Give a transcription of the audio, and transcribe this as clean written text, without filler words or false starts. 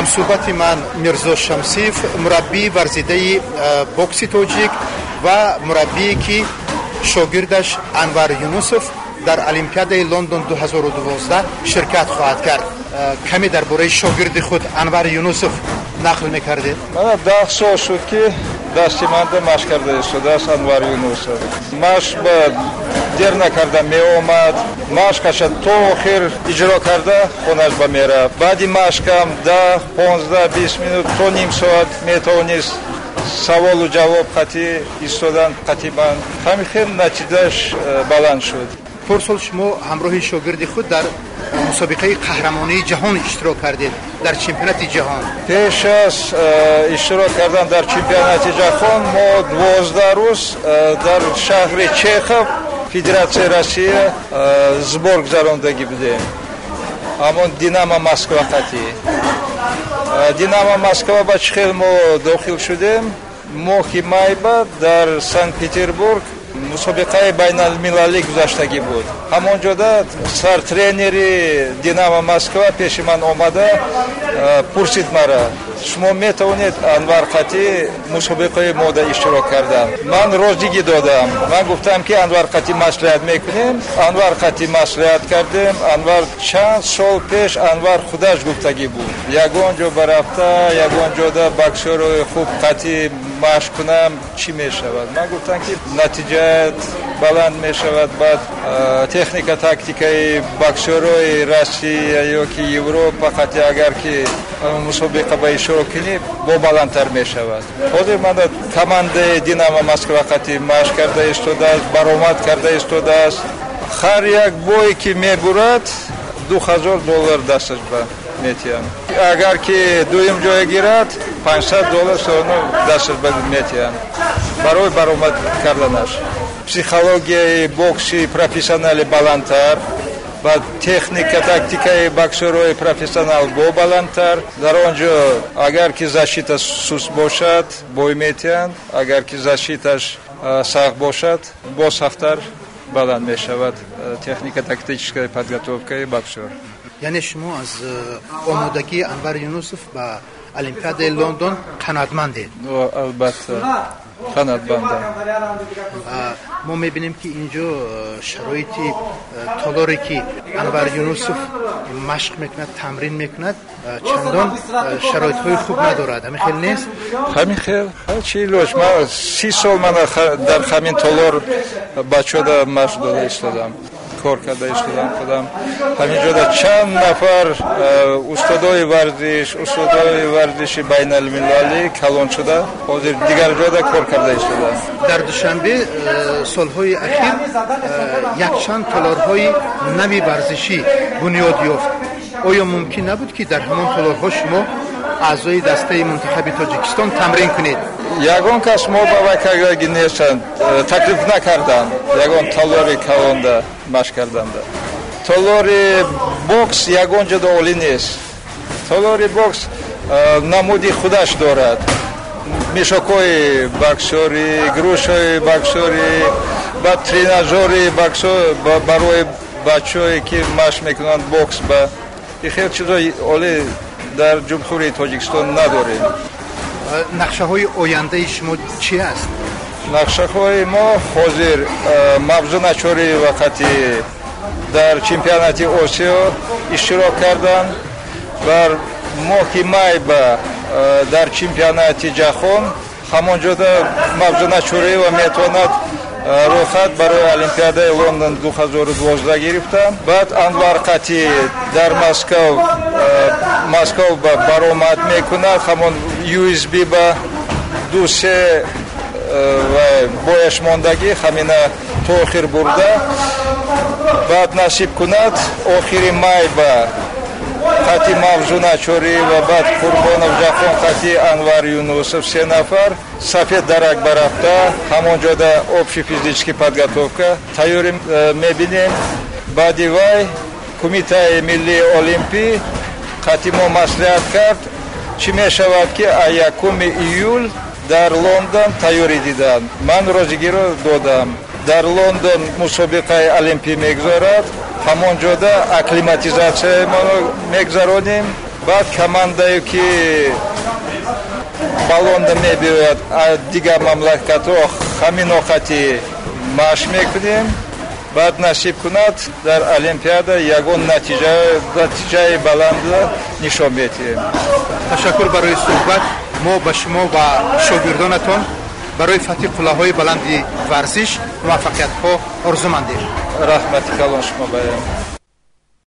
Ҳамсӯҳбати ман Мирзо Шамсиев, мураббии варзидаи бокси тоҷик ва мураббие, ки шогирдаш Анвар Юнусов дар Олимпиадаи Лондон 2012 ширкат хоҳад кард. Каме дар бораи шогирди худ Анвар Юнусов нақл мекардед. Мана 10 сол шуд, ки дасти манда машқ карда истодааст Анвар Юнусов. Машқ ба дер накарда меомад, машқаша то охир иҷро карда, хонаш ба мерафт. Баъди машқам 10, 15, 20 минут то ним соат метавонист саволу ҷавоб қатӣ истодан қатӣ ман. Ҳамин хел натиҷааш баланд шуд. Порсол шумо ҳамроҳи шогирди худ дар мусобиқаи қаҳрамонии ҷаҳон иштирок кардед, дар чемпионати ҷаҳон. Пеш аз иштирок кардан дар чемпионати ҷаҳон мо 12 рӯз дар шаҳри Чехов, Федератсияи Россия, сбор гузарондагӣ будем. Ҳамон «Динамо» Москва қатӣ. «Динамо» Москва ба чӣ хел мо дохил шудем? Моҳи майба дар Санкт Петербург мусобиқаи байналмилалӣ гузаштагӣ буд. Ҳамон ҷода сартренери «Динамо» Москва пеши ман омада, пурсид мара: «Шумо метавонед Анвар қатӣ мусобиқаи мода иштирок кардан?» Ман розигӣ додам. Ман гуфтам, ки Анвар қатӣ маслиҳат мекунем. Анвар қатӣ маслиҳат кардем. Анвар чанд сол пеш Анвар худаш гуфтагӣ буд: «Ягон ҷо барафта, ягон ҷода боксёрои хуб қатӣ машқ кунам, чӣ мешавад?» Ман гуфтам, ки натиҷаат баланд мешавад, баъд техника, тактикаи боксёрои Россия ё ки Европа қатӣ агар ки мусобиқа ба иштирок кунӣ, бо баландтар мешавад. Ҳозир мана командаи «Динамо» Москва қатӣ машқ карда истодааст, баромад карда истодааст. Ҳар як бое ки мебурад, 2000 доллар дасташ ба метиҳанд. Агар ки дуюм ҷое гирад, 500 доллар соно дасташ ба метиҳанд барои баромад карданаш. Психологияи бокси профессионали баландтар ва техника, тактикаи боксёрои профессионал бо баландтар. Дар он ҷо агар ки защита суст бошад, бой метиҳанд, агар ки защиташ сахт бошад, боз сахттар баланд мешавад техника, тактическая подготовкаи боксёр. Яъне шумо аз омодагии Анвар Юнусов ба Олимпиадаи Лондон қаноатмандед? Албатта, қаноатмандам. Мо мебинем, ки ин ҷо шароити толоре, ки Анвар Юнусов машқ мекунад, тамрин мекунад, чандон шароитҳои хуб надорад. Ҳамин хел нест? Ҳамин хел, чӣ илоҷ? Ман 30 сол мана дар ҳамин толор бачода машқ дода истодам, кор карда истодам худам. Ҳамин ҷода чанд нафар устодои варзиш, устодои варзиши байналмилалӣ калон шуда, ҳозир дигар ҷода кор карда истодам. Дар Душанбе солҳои ахир якчанд толорҳои нави варзишӣ бунёд ёфт. Оё мумкин набуд, ки дар ҳамон толорҳо шумо, аъзои дастаи мунтахаби Тоҷикистон, тамрин кунед? Ягон кас мо ба вай кардаги нестанд, таклиф накарданд ягон толори калонда машқ карданда. Толори бокс ягон ҷода олӣ нест. Толори бокс намуди худаш дорад: мешокҳои боксёрӣ, грушаи боксёрӣ, баъд тренажёри боксёр барои бачаҳое, ки машқ мекунанд бокс. Ба и хел чизои олӣ дар Ҷумҳурии Тоҷикистон надорем. Нақшаҳои ояндаи шумо чӣ аст? Нақшаҳои мо ҳозир Мавзуна Чориева қати дар чемпионати Осиё иштирок кардан, бар моҳи май ба дар чемпионати ҷаҳон. Ҳамон ҷода Мавзуна Чориева метавонад рӯйхат барои Олимпиадаи Лондон 2012 гирифтан. Баъд Анвар қати дар Москав баромад мекунад. Ҳамон USB ба ду се бояш мондагӣ, ҳамина то охир бурда, баъд насиб кунад, охири май ба қати Мавзуна Чориева, баъд Қурбонов Ҷаҳон қати Анвар Юнусов, се нафар Сафед Дарак барафта, ҳамон ҷода общий физический подготовка тайёрӣ мебинем. Баъди вай Кумитаи миллии олимпӣ қати мо маслиҳат кард, чӣ мешавад, ки 1 июл дар Лондон тайёрӣ диданд. Ман розигиро додам. Дар Лондон мусобиқаи олимпӣ мегузорад, ҳамон ҷода акклиматизатсияи моро мегузаронем. Баъд командае, ки балонда мебиёяд дигар мамлакатҳо, ҳамин оқати машқ мекунем. Баъд насиб кунад, дар олимпиада ягон натиҷаи баланд нишон медиҳем. Ташаккур барои суҳбат. Мо ба шумо ва шогирдонатон барои фатҳи қуллаҳои баланди варзиш муваффақиятҳо орзумандем. Раҳмати калон шумо баям.